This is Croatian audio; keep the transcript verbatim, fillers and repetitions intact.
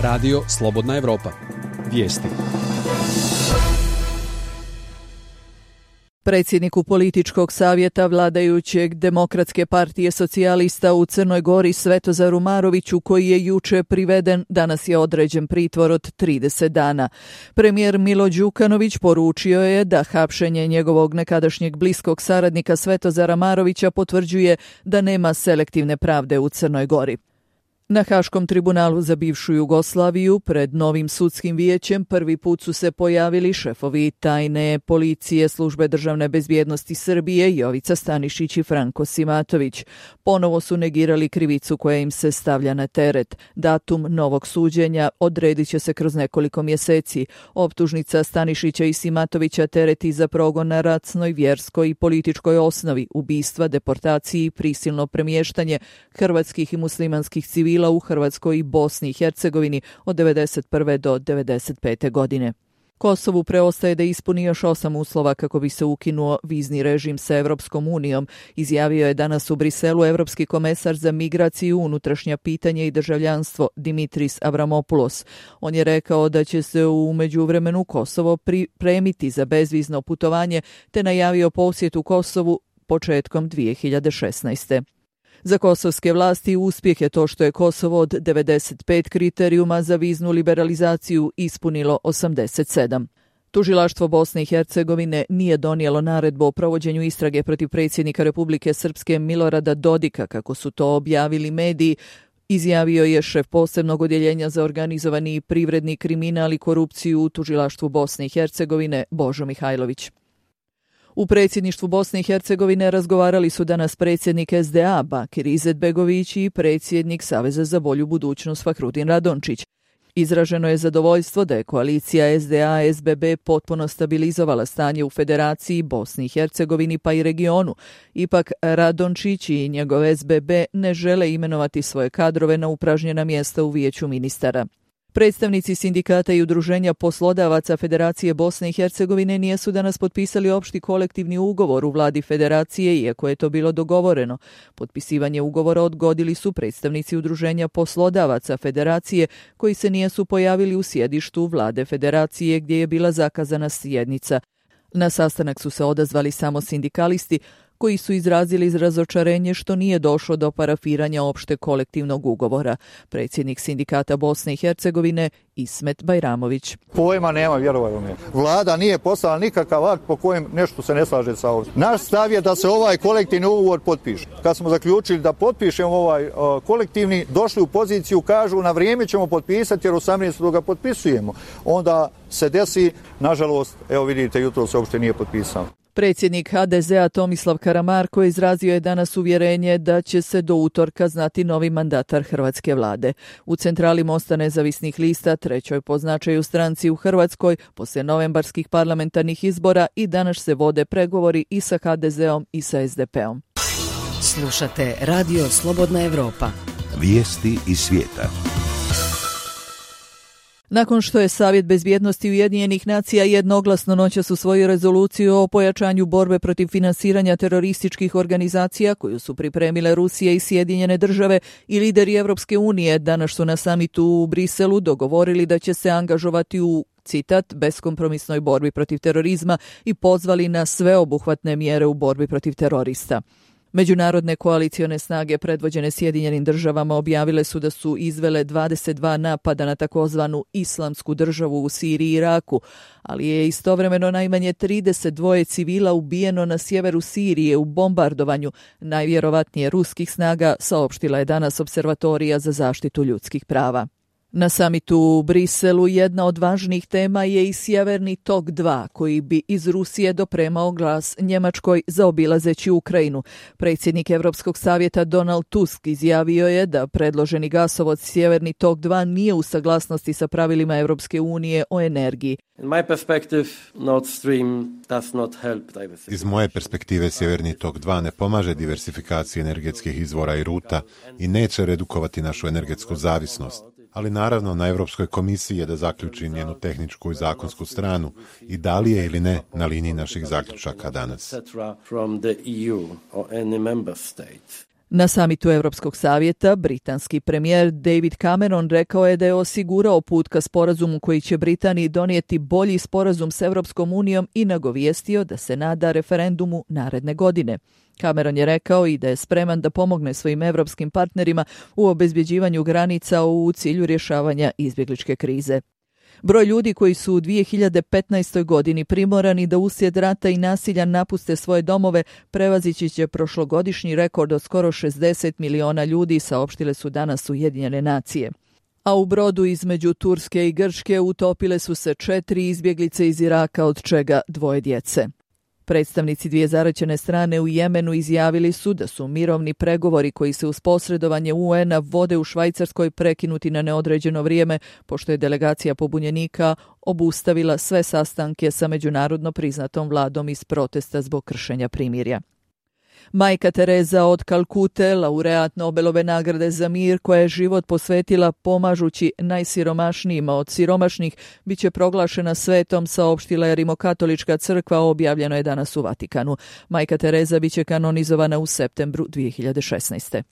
Radio Slobodna Evropa. Vijesti. Predsjedniku političkog savjeta vladajućeg Demokratske partije socijalista u Crnoj Gori Svetozaru Maroviću, koji je juče priveden, danas je određen pritvor od trideset dana. Premijer Milo Đukanović poručio je da hapšenje njegovog nekadašnjeg bliskog saradnika Svetozara Marovića potvrđuje da nema selektivne pravde u Crnoj Gori. Na Haškom tribunalu za bivšu Jugoslaviju pred novim sudskim vijećem prvi put su se pojavili šefovi tajne policije Službe državne bezbjednosti Srbije Jovica Stanišić i Franko Simatović. Ponovo su negirali krivicu koja im se stavlja na teret. Datum novog suđenja odredit će se kroz nekoliko mjeseci. Optužnica Stanišića i Simatovića tereti za progon na rasnoj, vjerskoj i političkoj osnovi, ubistva, deportaciji, prisilno premještanje hrvatskih i muslimanskih civila u Hrvatskoj i Bosni i Hercegovini od devedeset prve do devedeset pete godine. Kosovu preostaje da ispuni još osam uslova kako bi se ukinuo vizni režim sa Evropskom unijom, izjavio je danas u Briselu evropski komesar za migraciju, unutrašnja pitanja i državljanstvo Dimitris Avramopoulos. On je rekao da će se u međuvremenu Kosovo pripremiti za bezvizno putovanje te najavio posjetu Kosovu početkom dvije hiljade šesnaeste. Za kosovske vlasti uspjeh je to što je Kosovo od devedeset pet kriterijuma za viznu liberalizaciju ispunilo osamdeset sedam. Tužilaštvo Bosne i Hercegovine nije donijelo naredbu o provođenju istrage protiv predsjednika Republike Srpske Milorada Dodika, kako su to objavili mediji, izjavio je šef posebnog odjeljenja za organizovani privredni kriminal i korupciju u Tužilaštvu Bosne i Hercegovine Božo Mihajlović. U predsjedništvu Bosne i Hercegovine razgovarali su danas predsjednik S D A Bakir Izetbegović i predsjednik Saveza za bolju budućnost Fahrudin Radončić. Izraženo je zadovoljstvo da je koalicija S D A S B B potpuno stabilizovala stanje u Federaciji, Bosni i Hercegovini pa i regionu. Ipak Radončić i njegov S B B ne žele imenovati svoje kadrove na upražnjena mjesta u vijeću ministara. Predstavnici sindikata i udruženja poslodavaca Federacije Bosne i Hercegovine nisu danas potpisali opšti kolektivni ugovor u vladi Federacije, iako je to bilo dogovoreno. Potpisivanje ugovora odgodili su predstavnici udruženja poslodavaca Federacije, koji se nisu pojavili u sjedištu vlade Federacije gdje je bila zakazana sjednica. Na sastanak su se odazvali samo sindikalisti, koji su izrazili razočarenje što nije došlo do parafiranja opšte kolektivnog ugovora. Predsjednik sindikata Bosne i Hercegovine Ismet Bajramović. Pojma nema, vjerovalo mi. Vlada nije poslala nikakav akt po kojem nešto se ne slaže sa ovim. Naš stav je da se ovaj kolektivni ugovor potpiše. Kad smo zaključili da potpišemo ovaj uh, kolektivni, došli u poziciju, kažu na vrijeme ćemo potpisati jer osamnaestog ga potpisujemo. Onda se desi, nažalost, evo vidite, jutro se uopšte nije potpisao. Predsjednik H D Z-a Tomislav Karamarko izrazio je danas uvjerenje da će se do utorka znati novi mandatar hrvatske vlade. U centrali Mosta nezavisnih lista, trećoj po značaju stranci u Hrvatskoj, poslije novembarskih parlamentarnih izbora, i danas se vode pregovori i sa H D Z-om i sa S D P-om. Slušate Radio Slobodna Evropa. Vijesti iz svijeta. Nakon što je Savjet bezbjednosti Ujedinjenih nacija jednoglasno noćas usvojio rezoluciju o pojačanju borbe protiv finansiranja terorističkih organizacija koju su pripremile Rusija i Sjedinjene države i lideri Evropske unije, danas su na samitu u Briselu dogovorili da će se angažovati u, citat, beskompromisnoj borbi protiv terorizma i pozvali na sveobuhvatne mjere u borbi protiv terorista. Međunarodne koalicione snage predvođene Sjedinjenim državama objavile su da su izvele dvadeset dva napada na takozvanu Islamsku državu u Siriji i Iraku, ali je istovremeno najmanje trideset dva civila ubijeno na sjeveru Sirije u bombardovanju najvjerovatnije ruskih snaga, saopštila je danas Observatorija za zaštitu ljudskih prava. Na samitu u Briselu jedna od važnijih tema je i Sjeverni tok dva, koji bi iz Rusije dopremao glas Njemačkoj zaobilazeći Ukrajinu. Predsjednik Europskog savjeta Donald Tusk izjavio je da predloženi gasovod Sjeverni tok dva nije u saglasnosti sa pravilima Europske unije o energiji. Iz moje perspektive Sjeverni tok dva ne pomaže diversifikaciji energetskih izvora i ruta i neće redukovati našu energetsku zavisnost. Ali naravno na Europskoj komisiji je da zaključi njenu tehničku i zakonsku stranu i da li je ili ne na liniji naših zaključaka danas. Na samitu Europskog savjeta, britanski premijer David Cameron rekao je da je osigurao put ka sporazumu koji će Britaniji donijeti bolji sporazum s Europskom unijom i nagovijestio da se nada referendumu naredne godine. Cameron je rekao i da je spreman da pomogne svojim europskim partnerima u obezbjeđivanju granica u cilju rješavanja izbjegličke krize. Broj ljudi koji su u dvije hiljade petnaestoj. godini primorani da uslijed rata i nasilja napuste svoje domove prevazići će prošlogodišnji rekord od skoro šezdeset miliona ljudi, saopštile su danas Ujedinjene nacije. A u brodu između Turske i Grčke utopile su se četiri izbjeglice iz Iraka, od čega dvoje djece. Predstavnici dvije zaraćene strane u Jemenu izjavili su da su mirovni pregovori koji se uz posredovanje U N-a vode u Švajcarskoj prekinuti na neodređeno vrijeme, pošto je delegacija pobunjenika obustavila sve sastanke sa međunarodno priznatom vladom iz protesta zbog kršenja primirja. Majka Tereza od Kalkute, laureat Nobelove nagrade za mir, koja je život posvetila pomažući najsiromašnijima od siromašnih, bit će proglašena svetom, saopštila je Rimokatolička crkva, objavljeno je danas u Vatikanu. Majka Tereza bit će kanonizovana u septembru dvije hiljade šesnaeste.